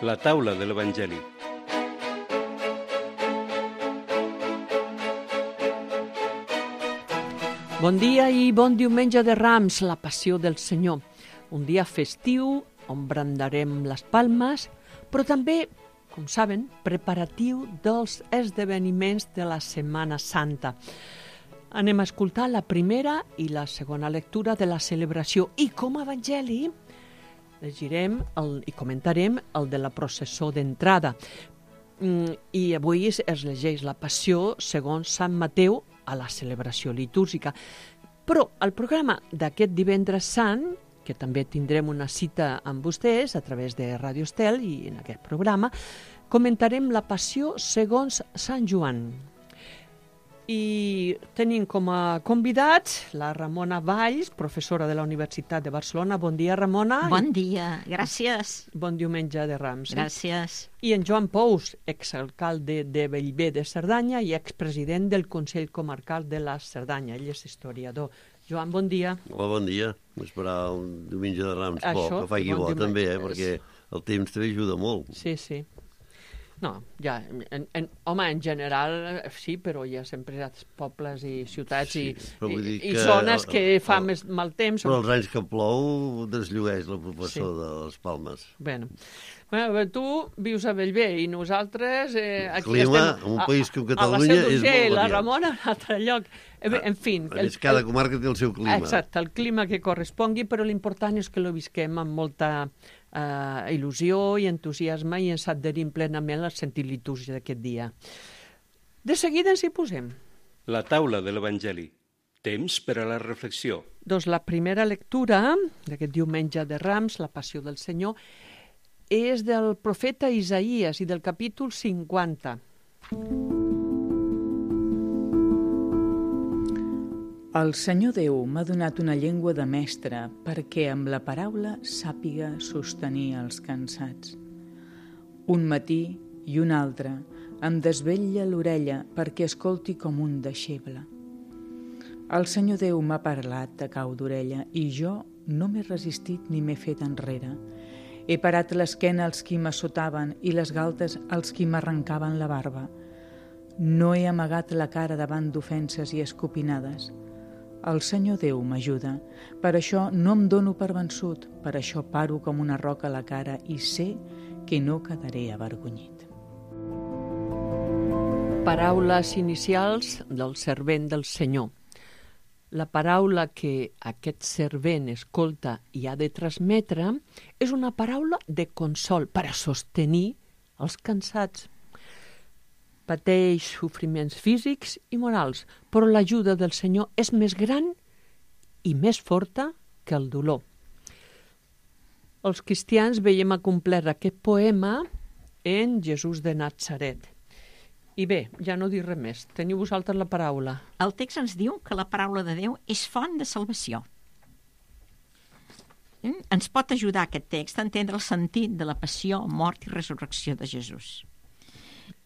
La taula de l'Evangeli. Bon dia i bon diumenge de Rams, la passió del Senyor. Un dia festiu on brandarem les palmes, però també, com saben, preparatiu dels esdeveniments de la Setmana Santa. Anem a escoltar la primera i la segona lectura de la celebració i com a evangeli llegirem i comentarem el de la processó d'entrada. I avui es llegeix la passió segons Sant Mateu a la celebració litúrgica. Però el programa d'aquest divendres sant, que també tindrem una cita amb vostès a través de Ràdio Estel i en aquest programa, comentarem la passió segons Sant Joan. I tenim com a convidats la Ramona Valls, professora de la Universitat de Barcelona. Bon dia, Ramona. Bon dia, gràcies. Bon diumenge de Rams. Gràcies. I en Joan Pous, exalcalde de Bellver de Cerdanya i expresident del Consell Comarcal de la Cerdanya. Ell és historiador. Joan, bon dia. Hola, bon dia. Esperar un diumenge de Rams Això, que faci bo també, perquè el temps també ajuda molt. Sí, sí. No, ja, home, en general sí, però hi ha sempre pobles i ciutats i zones que fa més mal temps. Però els anys que plou desllueix la proporció de les palmes. Bueno, tu vius a Bellver i nosaltres aquí clima, estem en un país com Catalunya, a la Seu és molt d'Urgell, la variat. Ramona, a un altre lloc. En fi. Cada comarca té el seu clima. Exacte, el clima que correspongui, però l'important és que lo visquem amb molta il·lusió i entusiasme i ens adherim plenament al sentit litúrgic d'aquest dia. De seguida ens hi posem. La taula de l'Evangeli. Temps per a la reflexió. Doncs la primera lectura d'aquest diumenge de Rams, la passió del Senyor, és del profeta Isaïes i del capítol 50. El Senyor Déu m'ha donat una llengua de mestre perquè amb la paraula sàpiga sostenir els cansats. Un matí i un altre em desvetlla l'orella perquè escolti com un deixeble. El Senyor Déu m'ha parlat de cau d'orella i jo no m'he resistit ni m'he fet enrere. He parat l'esquena als qui m'assotaven i les galtes als qui m'arrencaven la barba. No he amagat la cara davant d'ofenses i escopinades. El Senyor Déu m'ajuda, per això no em dono per vençut, per això paro com una roca a la cara i sé que no quedaré avergonyit. Paraules inicials del servent del Senyor. La paraula que aquest servent escolta i ha de transmetre és una paraula de consol per a sostenir els cansats. Pateix sofriments físics i morals, però l'ajuda del Senyor és més gran i més forta que el dolor. Els cristians veiem acomplert aquest poema en Jesús de Natzaret. I bé, ja no diré més. Teniu vosaltres la paraula. El text ens diu que la paraula de Déu és font de salvació. Ens pot ajudar aquest text a entendre el sentit de la passió, mort i resurrecció de Jesús.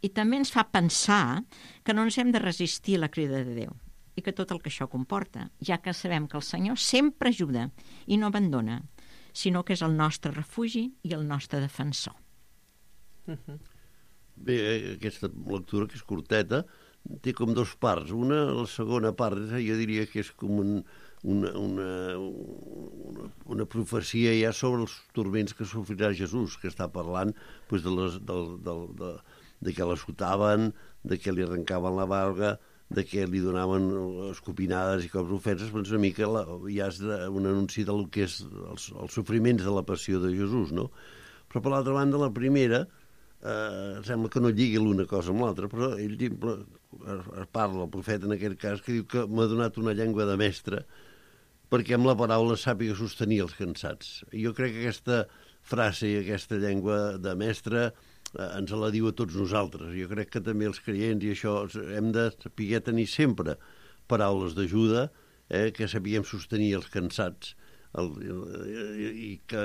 I també ens fa pensar que no ens hem de resistir a la crida de Déu i que tot el que això comporta, ja que sabem que el Senyor sempre ajuda i no abandona, sinó que és el nostre refugi i el nostre defensor. Bé, aquesta lectura, que és curteta, té com dos parts. La segona part, jo diria que és com una profecia ja sobre els turments que sofrirà Jesús, que està parlant de que l'assotaven, de que li arrencaven la barba, de que li donaven escopinades i cops ofenses, però una mica ja és un anunci del que és els sofriments de la passió de Jesús, no? Però per l'altra banda, la primera, sembla que no lligui l'una cosa amb l'altra, però ell parla, el profeta en aquest cas, que diu que m'ha donat una llengua de mestre perquè amb la paraula sàpiga sostenir els cansats. Jo crec que aquesta frase i aquesta llengua de mestre ens la diu a tots nosaltres. Jo crec que també els creients i això hem de saber tenir sempre paraules d'ajuda, que sapiguem sostenir els cansats i que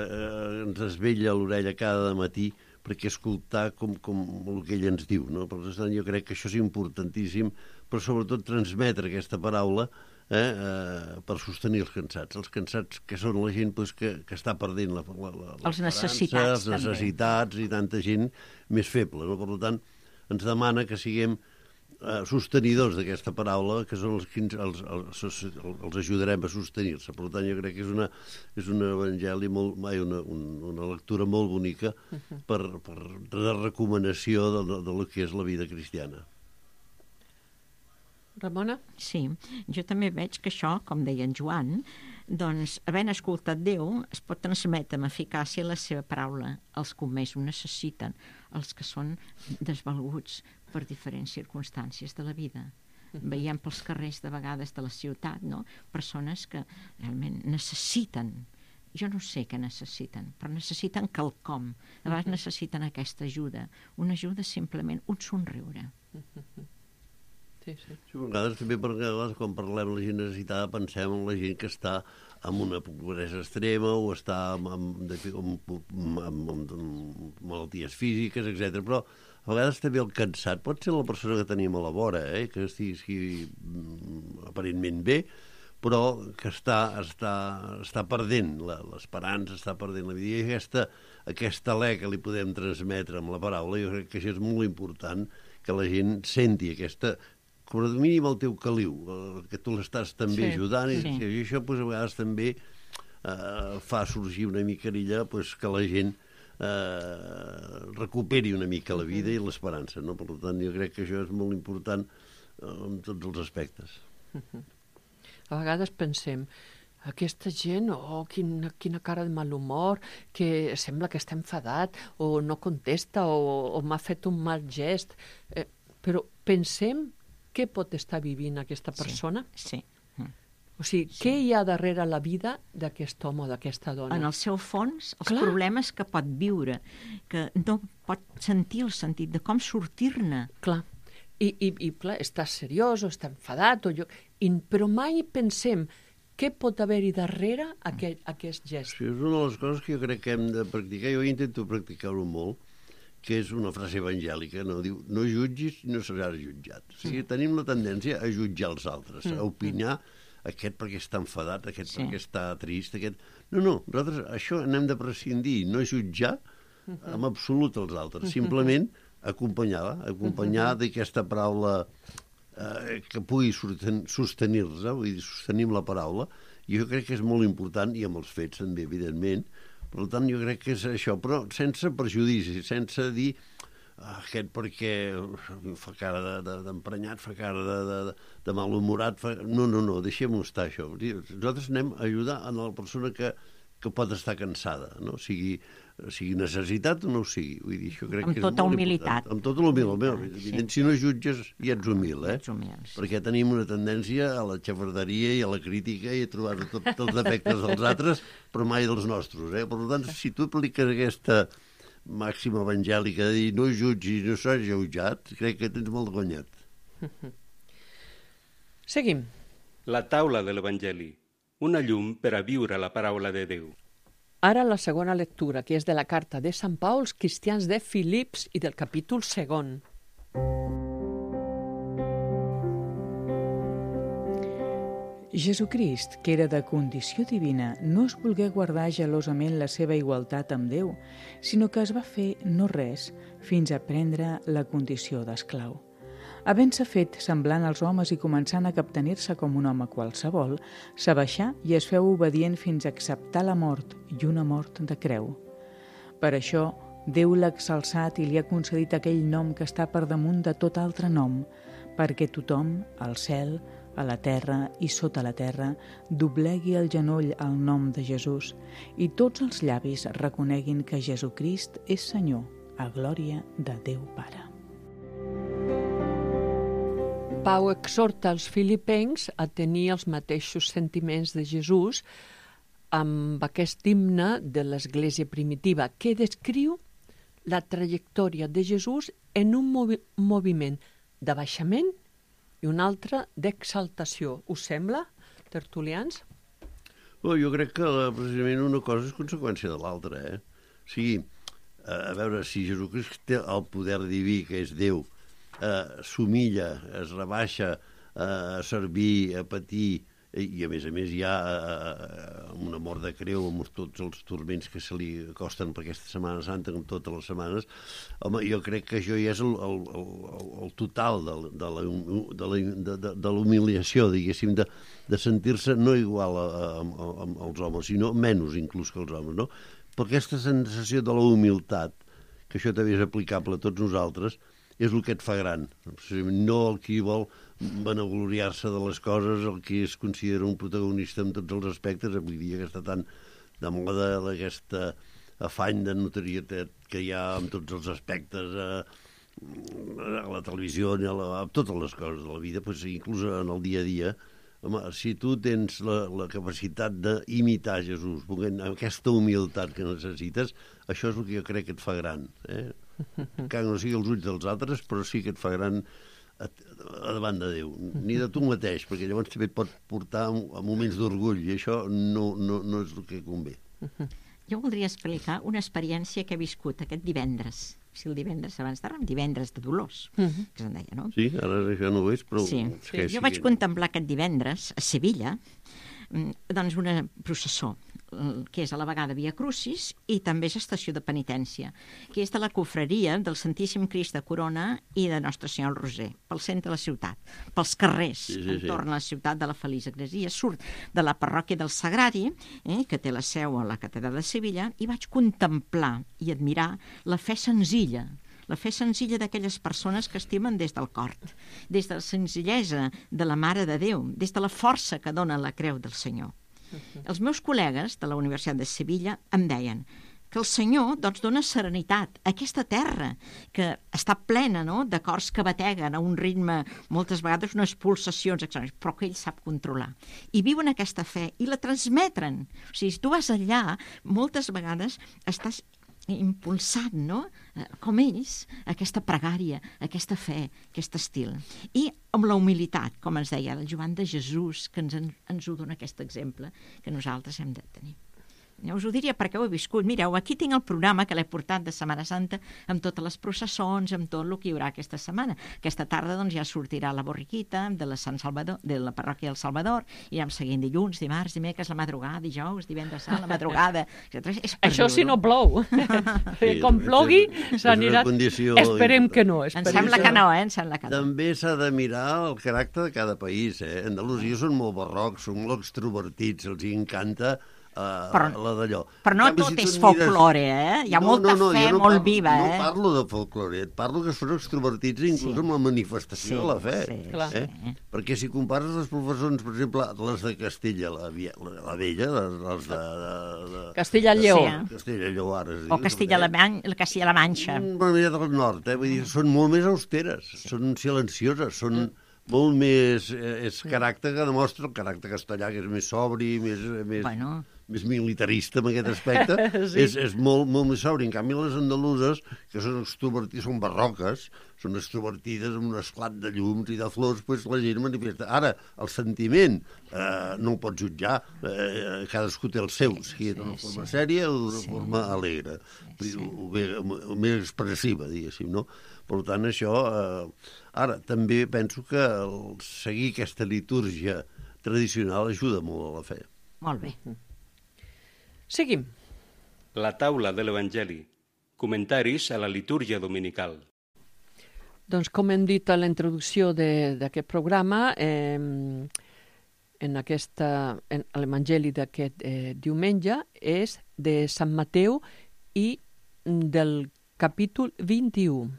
ens desvetlla l'orella cada matí perquè escoltar com el que ell ens diu, no? Per tant, jo crec que això és importantíssim, però sobretot transmetre aquesta paraula per sostenir els cansats. Els cansats que són la gent que està perdent els necessitats, les necessitats i tanta gent més feble. No? Per tant, ens demana que siguem sostenidors d'aquesta paraula, que són els que els ajudarem a sostenir-se. Per tant, jo crec que és un evangeli, una lectura molt bonica per de recomanació de lo que és la vida cristiana. Ramona? Sí, jo també veig que això, com deia en Joan, doncs, havent escoltat Déu, es pot transmetre amb eficàcia la seva paraula als que més ho necessiten, els que són desvalguts per diferents circumstàncies de la vida. Veiem pels carrers de vegades de la ciutat, no? Persones que realment necessiten, jo no sé què necessiten, però necessiten quelcom. A vegades necessiten aquesta ajuda, una ajuda simplement, un somriure. Sí. Sí, a vegades també perquè quan parlem de la gent necessitada pensem en la gent que està amb una pobresa extrema o està amb malalties físiques, etc. Però a vegades també el cansat pot ser la persona que tenim a la vora, que estigui aparentment bé, però que està perdent l'esperança, està perdent la vida. I aquesta alè que li podem transmetre amb la paraula, jo crec que això és molt important, que la gent senti aquesta, com a mínim el teu caliu, que tu l'estàs també ajudant, i això a vegades també fa sorgir una micarilla que la gent recuperi una mica la vida i l'esperança, no? Per tant, jo crec que això és molt important en tots els aspectes. A vegades pensem, aquesta gent, quina cara de mal humor, que sembla que està enfadat, o no contesta, o m'ha fet un mal gest. Però pensem què pot estar vivint aquesta persona? Sí. O sigui, què hi ha darrere la vida d'aquest home o d'aquesta dona? En el seu fons, els problemes que pot viure, que no pot sentir el sentit de com sortir-ne. Clar. I clar, està seriós o està enfadat, però mai pensem què pot haver-hi darrere aquest gest. Sí, és una de les coses que jo crec que hem de practicar. Jo intento practicar-ho molt, que és una frase evangèlica, no? Diu, no jutgis i no seràs jutjat. O sigui, tenim la tendència a jutjar els altres, a opinar aquest perquè està enfadat, aquest perquè està trist, aquest... No, nosaltres això n'hem de prescindir, no jutjar en absolut els altres, simplement acompanyar d'aquesta paraula que pugui sostenir-se, vull dir, sostenim la paraula, i jo crec que és molt important, i amb els fets també, evidentment. Per tant, jo crec que és això, però sense perjudici, sense dir aquest perquè fa cara d'emprenyat, fa cara de malhumorat. No, deixem-ho estar, això. Nosaltres anem a ajudar a la persona que pot estar cansada, no? Sigui necessitat o no ho sigui. Vull dir, això crec que és molt important. Amb tota humilitat. Amb tota humilitat. Si no jutges, ja ets humil, Perquè tenim una tendència a la xafarderia i a la crítica i a trobar tots els defectes dels altres, però mai dels nostres, Per tant, si tu apliques aquesta màxima evangèlica de dir no jutgis, no seràs jutjat, crec que tens molt guanyat. Seguim. La taula de l'Evangeli, una llum per a viure la paraula de Déu. Ara la segona lectura, que és de la carta de Sant Pau als cristians de Filips i del capítol 2. Jesucrist, que era de condició divina, no es volgué guardar gelosament la seva igualtat amb Déu, sinó que es va fer no res fins a prendre la condició d'esclau. Havent-se fet semblant als homes i començant a captenir-se com un home qualsevol, s'abaixà i es feu obedient fins a acceptar la mort i una mort de creu. Per això, Déu l'ha exalçat i li ha concedit aquell nom que està per damunt de tot altre nom, perquè tothom, al cel, a la terra i sota la terra, doblegui el genoll al nom de Jesús i tots els llavis reconeguin que Jesucrist és Senyor, a glòria de Déu Pare. Pau exhorta els filipencs a tenir els mateixos sentiments de Jesús amb aquest himne de l'Església primitiva, que descriu la trajectòria de Jesús en un moviment d'abaixament i un altre d'exaltació. Us sembla, tertulians? Jo crec que precisament una cosa és conseqüència de l'altra, O sigui, a veure, si Jesucrist té el poder diví, que és Déu, s'humilla, es rebaixa a servir, a patir i a més hi ha una mort de creu amb tots els turments que se li acosten per aquesta Setmana Santa, com totes les setmanes. Home, jo crec que això ja és el total de l'humiliació, diguéssim, de sentir-se no igual als homes, sinó menys inclús que els homes, no? Però aquesta sensació de la humilitat, que això també és aplicable a tots nosaltres, és el que et fa gran. No el qui vol vanagloriar-se de les coses, el qui es considera un protagonista en tots els aspectes, avui dia que està tan de moda aquesta afany de notorietat que hi ha en tots els aspectes, a la televisió, a totes les coses de la vida, doncs, inclús en el dia a dia. Home, si tu tens la capacitat d'imitar Jesús, amb aquesta humilitat que necessites, això és el que jo crec que et fa gran. Que no sigui els ulls dels altres, però sí que et fa gran a davant de Déu, ni de tu mateix, perquè llavors també et pot portar a moments d'orgull, i això no és el que convé. Jo voldria explicar una experiència que he viscut aquest divendres. Si el divendres abans d'ara, divendres de Dolors, que se'n deia, no? Sí, ara això no ho és, però... Sí. Jo vaig contemplar aquest divendres a Sevilla, doncs una processó, que és a la vegada Via Crucis i també és estació de penitència, que és de la confraria del Santíssim Crist de Corona i de Nostre Senyor el Roser, pel centre de la ciutat, pels carrers, entorn a la ciutat de la Feliç Egresia. Surt de la parròquia del Sagrari, que té la seu a la catedral de Sevilla, i vaig contemplar i admirar la fe senzilla d'aquelles persones que estimen des del cor, des de la senzillesa de la Mare de Déu, des de la força que dona la creu del Senyor. Els meus col·legues de la Universitat de Sevilla em deien que el Senyor doncs, dona serenitat a aquesta terra que està plena, no?, de cors que bateguen a un ritme, moltes vegades unes pulsacions extraordinàries, però que ell sap controlar. I viuen aquesta fe i la transmeten. O sigui, si tu vas allà, moltes vegades estàs impulsat, no?, com ells, aquesta pregària, aquesta fe, aquest estil. I amb la humilitat, com ens deia el Joan de Jesús, que ens ho dona aquest exemple que nosaltres hem de tenir. Us ho diria perquè ho he viscut. Mireu, aquí tinc el programa que l'he portat de Setmana Santa amb totes les processons, amb tot el que hi haurà aquesta setmana. Aquesta tarda doncs, ja sortirà la borriquita de la Sant Salvador, de la parròquia del Salvador, i ja em seguim dilluns, dimarts, dimecres, la madrugada, dijous, divendres, la madrugada... Això si no plou. Com plogui, s'anirà... Esperem que no. Em sembla que no, Em sembla que no. També s'ha de mirar el caràcter de cada país, Andalusia són molt barrocs, són molt extrovertits, els encanta la d'allò. Però no tot és folklore, Hi ha molta fe molt viva, No parlo de folklore, parlo que són extrovertits inclús amb la manifestació de la fe. Perquè si compares les professors, per exemple, les de Castella, la Vella, les de... Castella-Lleó. Castella-Lleó, ara es diu. O Castilla-La Manxa. Del nord, vull dir, són molt més austeres, són silencioses, són molt més... És caràcter que demostra el caràcter castellà, que és més sobri, més militarista en aquest aspecte, és molt més sobri. En canvi, les andaluses, que són extrovertides, són barroques, són extrovertides amb un esclat de llums i de flors, doncs la gent manifesta. Ara, el sentiment no el pots jutjar, cadascú té el seu, sigui d'una forma sèria o d'una forma alegre, o més expressiva, diguéssim, no? Per tant, això... Ara, també penso que seguir aquesta litúrgia tradicional ajuda molt a la fe. Molt bé. Seguim. La taula de l'Evangeli. Comentaris a la litúrgia dominical. Doncs com hem dit a la introducció d'aquest programa, en l'Evangeli d'aquest diumenge és de Sant Mateu i del capítol 21.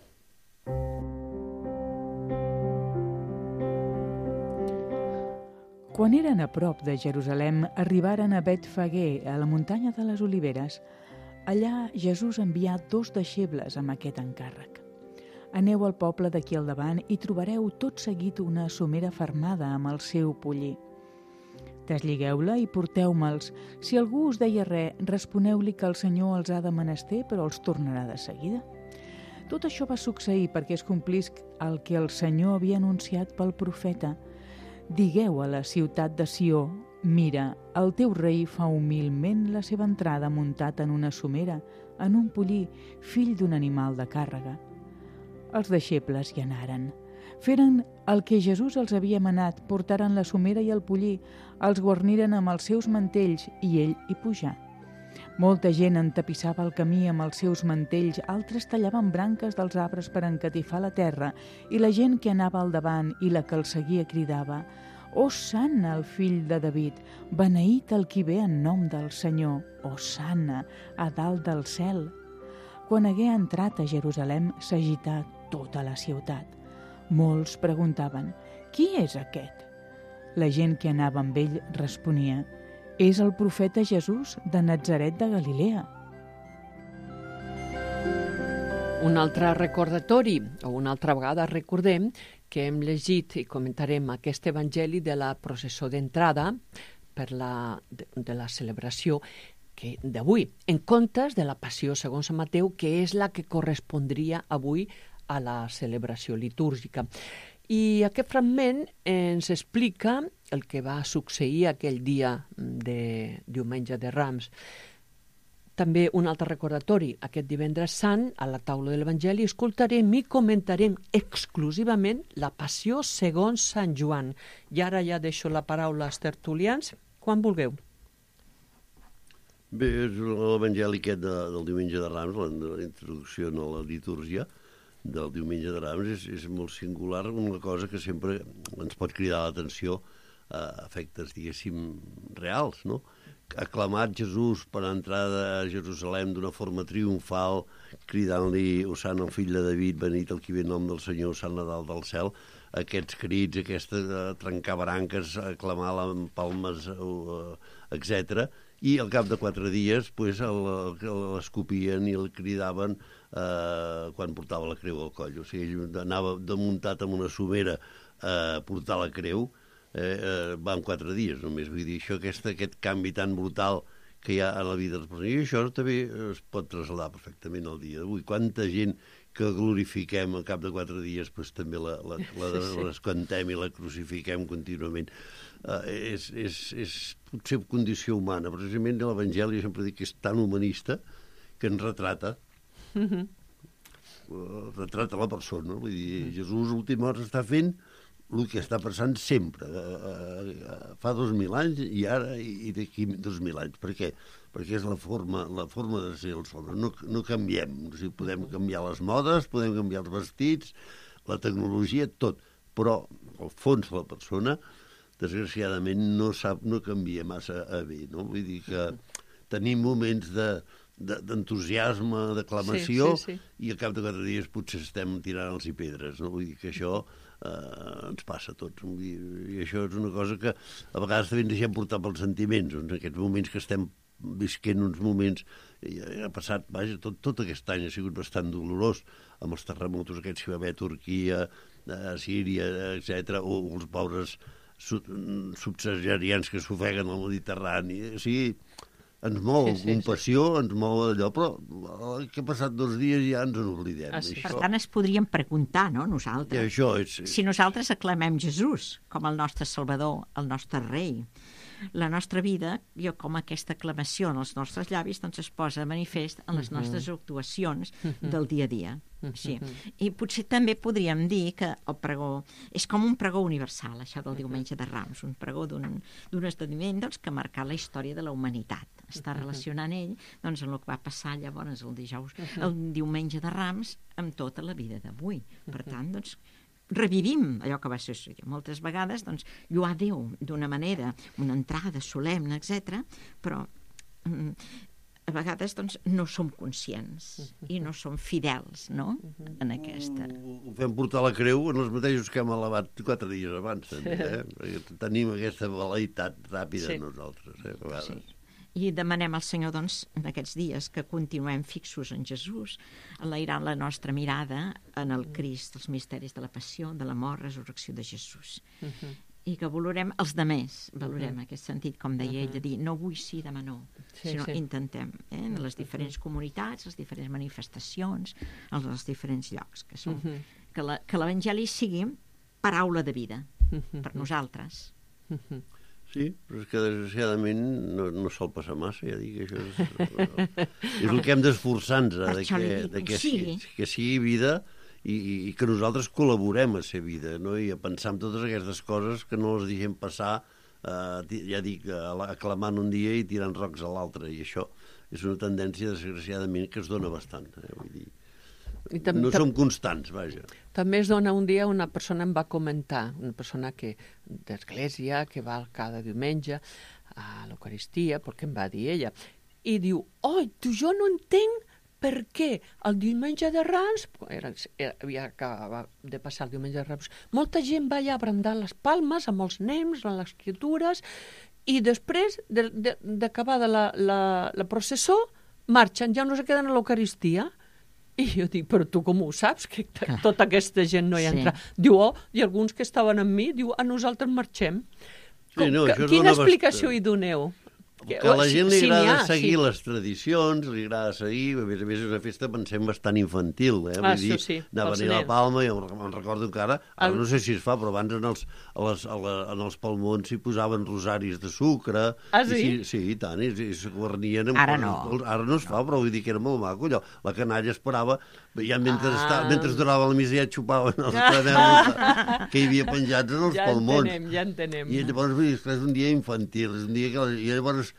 Quan eren a prop de Jerusalem, arribaren a Betfagé, a la muntanya de les Oliveres. Allà Jesús envià 2 deixebles amb aquest encàrrec. Aneu al poble d'aquí al davant i trobareu tot seguit una somera fermada amb el seu pollí. Desligueu-la i porteu-me'ls. Si algú us deia res, responeu-li que el Senyor els ha de menester, però els tornarà de seguida. Tot això va succeir perquè es complís el que el Senyor havia anunciat pel profeta. Digueu a la ciutat de Sió, mira, el teu rei fa humilment la seva entrada muntat en una somera, en un pollí, fill d'un animal de càrrega. Els deixebles hi anaren. Feren el que Jesús els havia manat, portaren la somera i el pollí, els guarniren amb els seus mantells i ell hi pujà. Molta gent entapissava el camí amb els seus mantells, altres tallaven branques dels arbres per encatifar la terra, i la gent que anava al davant i la que el seguia cridava: «Hosanna, el fill de David, beneït el qui ve en nom del Senyor, Hosanna, a dalt del cel». Quan hagué entrat a Jerusalem, s'agità tota la ciutat. Molts preguntaven: «Qui és aquest?» La gent que anava amb ell responia: «És el profeta Jesús de Natzaret de Galilea». Un altre recordatori, o una altra vegada recordem que hem llegit i comentarem aquest evangeli de la processó d'entrada de la celebració d'avui, en comptes de la passió segons Sant Mateu, que és la que correspondria avui a la celebració litúrgica. I aquest fragment ens explica el que va succeir aquell dia de Diumenge de Rams. També un altre recordatori, aquest divendres sant, a la taula de l'Evangeli, escoltarem i comentarem exclusivament la passió segons Sant Joan. I ara ja deixo la paraula als tertulians, quan vulgueu. Bé, l'Evangeli aquest del Diumenge de Rams, la introducció a la litúrgia del Diumenge de Rams, és molt singular, una cosa que sempre ens pot cridar l'atenció a efectes, diguéssim, reals, no? Aclamat Jesús per entrar a Jerusalem d'una forma triomfal, cridant-li «Hosanna, el fill de David, benit el qui ve en nom del Senyor, Hosanna dalt del cel», aquests crits, aquesta trencar branques, aclamar amb palmes, etc. I al cap de 4 dies l'escopien i el cridaven quan portava la creu al coll. O sigui, ell anava muntat amb una somera a portar la creu, va en 4 dies només. Vull dir, això, aquest canvi tan brutal que hi ha a la vida de les persones. I això també es pot traslladar perfectament al dia d'avui. Quanta gent que glorifiquem al cap de 4 dies, doncs també l'escantem i la crucifiquem contínuament. És potser condició humana. Precisament l'Evangeli, sempre dic que és tan humanista que ens retrata. Retrata la persona. Vull dir, Jesús a l'última hora està fent el que està passant sempre, fa 2.000 anys i ara i d'aquí 2.000 anys. Per què? Perquè és la forma de ser els homes. No canviem. O sigui, podem canviar les modes, podem canviar els vestits, la tecnologia, tot. Però, al fons, la persona, desgraciadament, no canvia massa a bé. No? Vull dir que tenim moments d'entusiasme, d'aclamació, i al cap de 4 dies potser estem tirant-los pedres. No? Vull dir que això ens passa a tots. I això és una cosa que a vegades també ens deixem portar pels sentiments. En aquests moments que estem visquent uns moments, ha passat, vaja, tot aquest any ha sigut bastant dolorós, amb els terremotos aquests que va haver a Turquia, a Síria, etc., o els pobres subsaharians que s'ofeguen al Mediterrani. O sigui, ens mou compassió, ens mou allò, però que ha passat 2 dies i ja ens en oblidem. Per tant, es podríem preguntar, no?, nosaltres. Si nosaltres aclamem Jesús com el nostre Salvador, el nostre rei, la nostra vida, com aquesta aclamació en els nostres llavis, doncs es posa de manifest en les nostres actuacions del dia a dia. Sí. I potser també podríem dir que el pregó és com un pregó universal, això del Diumenge de Rams, un pregó d'un esdeveniment que ha marcat la història de la humanitat. Està relacionant ell amb el que va passar llavors el Diumenge de Rams amb tota la vida d'avui. Per tant, revivim allò que va succeir. Moltes vegades, lluar Déu d'una manera, una entrada solemne, etc., però a vegades no som conscients i no som fidels, no?, en aquesta. Ho fem portar la creu en els mateixos que hem elevat 4 dies abans, també, perquè tenim aquesta velaitat ràpida nosaltres, a vegades. Sí. I demanem al Senyor, en aquests dies, que continuem fixos en Jesús, enlairant la nostra mirada en el Crist, els misteris de la passió, de la mort, resurrecció de Jesús. I que valorem els demés, valorem aquest sentit, com deia ell, de dir, no vull sí, demà no, sinó intentem, en les diferents comunitats, les diferents manifestacions, els diferents llocs, que l'Evangeli sigui paraula de vida per nosaltres. Sí, però és que desgraciadament no sol passar massa, ja dic, això és el que hem d'esforçar-nos, que sigui vida i que nosaltres col·laborem a ser vida, no? I a pensar en totes aquestes coses que no les deixem passar, ja dic, aclamant un dia i tirant rocs a l'altre, i això és una tendència, desgraciadament, que es dona bastant. Vull dir, no som constants, vaja. També es dona un dia, una persona em va comentar, una persona d'església, que va cada diumenge a l'Eucaristia, perquè em va dir ella, i diu, jo no entenc per què el diumenge de Rams, havia acabat de passar el diumenge de Rams, molta gent va allà a brandar les palmes amb els nens, amb les criatures, i després d'acabar la processó, marxen, ja no se queden a l'Eucaristia. I jo dic, però tu com ho saps, que tota aquesta gent no hi entra? Diu, i alguns que estaven amb mi, diu, nosaltres marxem. Quina explicació hi doneu? Que a la gent li agrada seguir les tradicions, li agrada seguir, a més és una festa, pensem, bastant infantil, vull dir, anaven a la Palma, i em recordo que ara no sé si es fa, però abans en els palmons s'hi posaven rosaris de sucre. Sí? Sí, i tant, i s'ho guarnien. Ara no. Ara no es fa, però vull dir que era molt maco, allò. La canalla esperava, ja mentre durava la missa ja xupaven els caramels que hi havia penjats en els palmons. Ja entenem. I llavors, vull dir, és un dia infantil, és un dia que... I llavors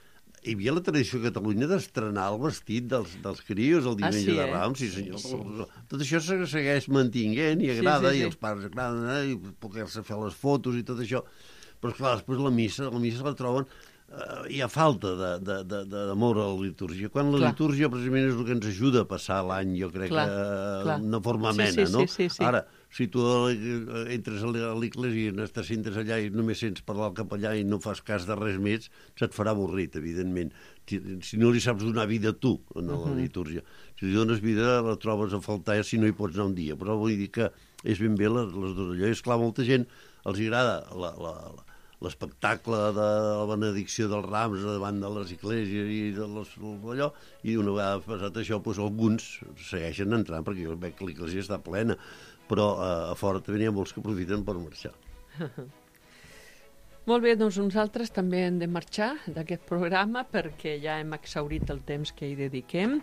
hi havia la tradició a Catalunya d'estrenar el vestit dels crios el diumenge de Rams, sí senyor. Sí. Tot això segueix mantinguent i agrada, i els pares agraden, i poder-se fer les fotos i tot això. Però, esclar, després la missa la troben... hi ha falta d'amor a la litúrgia. Quan la litúrgia, precisament, és el que ens ajuda a passar l'any, jo crec, d'una forma amena, no? Ara, si tu entres a l'església i t'assentes allà i només sents parlar el capellà i no fas cas de res més, se't farà avorrit, evidentment. Si no li saps donar vida tu a la litúrgia. Si li dones vida, la trobes a faltar si no hi pots anar un dia. Però vull dir que és ben bé les dues allò. És clar, molta gent els agrada l'espectacle de la benedicció dels rams davant de les esglésies i allò, i una vegada passat això, doncs alguns segueixen entrant perquè jo veig que l'església està plena, però a fora també n'hi ha molts que aprofiten per marxar. Molt bé, doncs nosaltres també hem de marxar d'aquest programa perquè ja hem exhaurit el temps que hi dediquem.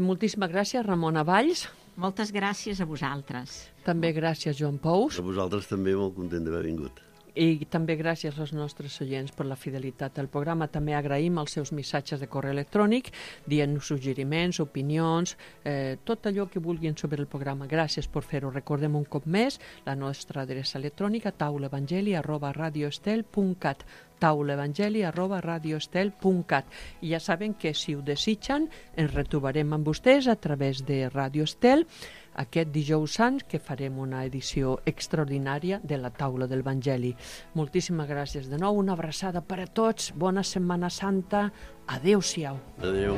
Moltíssimes gràcies, Ramona Valls. Moltes gràcies a vosaltres. També gràcies, Joan Pous. A vosaltres també, molt content d'haver vingut. I també gràcies als nostres oients per la fidelitat al programa. També agraïm els seus missatges de correu electrònic, dient-nos suggeriments, opinions, tot allò que vulguin sobre el programa. Gràcies per fer-ho. Recordem un cop més la nostra adreça electrònica taulaevangeli@radioestel.cat taulaevangeli@radioestel.cat. I ja saben que si ho desitgen ens retrobarem amb vostès a través de Radio Estel aquest dijous sant, que farem una edició extraordinària de la Taula del Vangeli. Moltíssimes gràcies de nou, una abraçada per a tots, bona Setmana Santa, adéu-siau. Adéu.